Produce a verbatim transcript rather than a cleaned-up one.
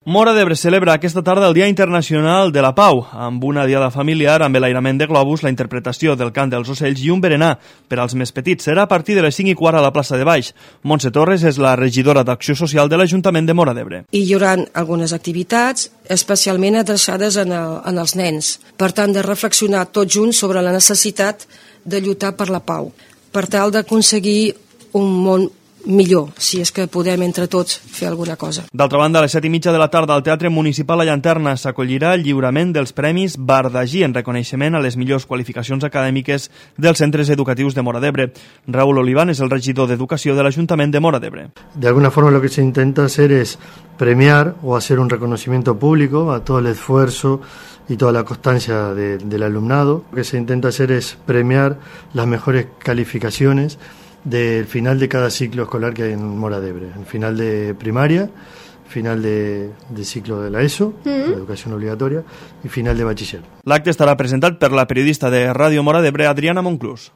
Móra d'Ebre celebra aquesta tarda el Dia Internacional de la Pau, amb una diada familiar, amb l'enlairament de globus, la interpretació del cant dels ocells i un berenar per als més petits. Serà a partir de les cinc i quart a la plaça de Baix. Montse Torres és la regidora d'Acció Social de l'Ajuntament de Móra d'Ebre. I hi haurà algunes activitats especialment adreçades en, el, en els nens. Per tant, de reflexionar tots junts sobre la necessitat de lluitar per la pau, per tal d'aconseguir un món millor, si és que podem entre tots fer alguna cosa. D'altra banda, a les set i mitja de la tarda al Teatre Municipal La Llanterna s'acollirà el lliurament dels Premis Bardagí en reconeixement a les millors qualificacions acadèmiques dels centres educatius de Móra d'Ebre. Raúl Oliván és el regidor d'Educació de l'Ajuntament de Móra d'Ebre. De alguna forma lo que se intenta hacer es premiar o hacer un reconocimiento público a todo el esfuerzo y toda la constancia de, del alumnado. Lo que se intenta hacer es premiar las mejores calificaciones del final de cada ciclo escolar que hay en Móra d'Ebre, el final de primaria, final de, de ciclo de la ESO, mm-hmm. la educación obligatoria, y final de bachiller. L'acte estarà presentat per la periodista de Ràdio Móra d'Ebre, Adriana Monclús.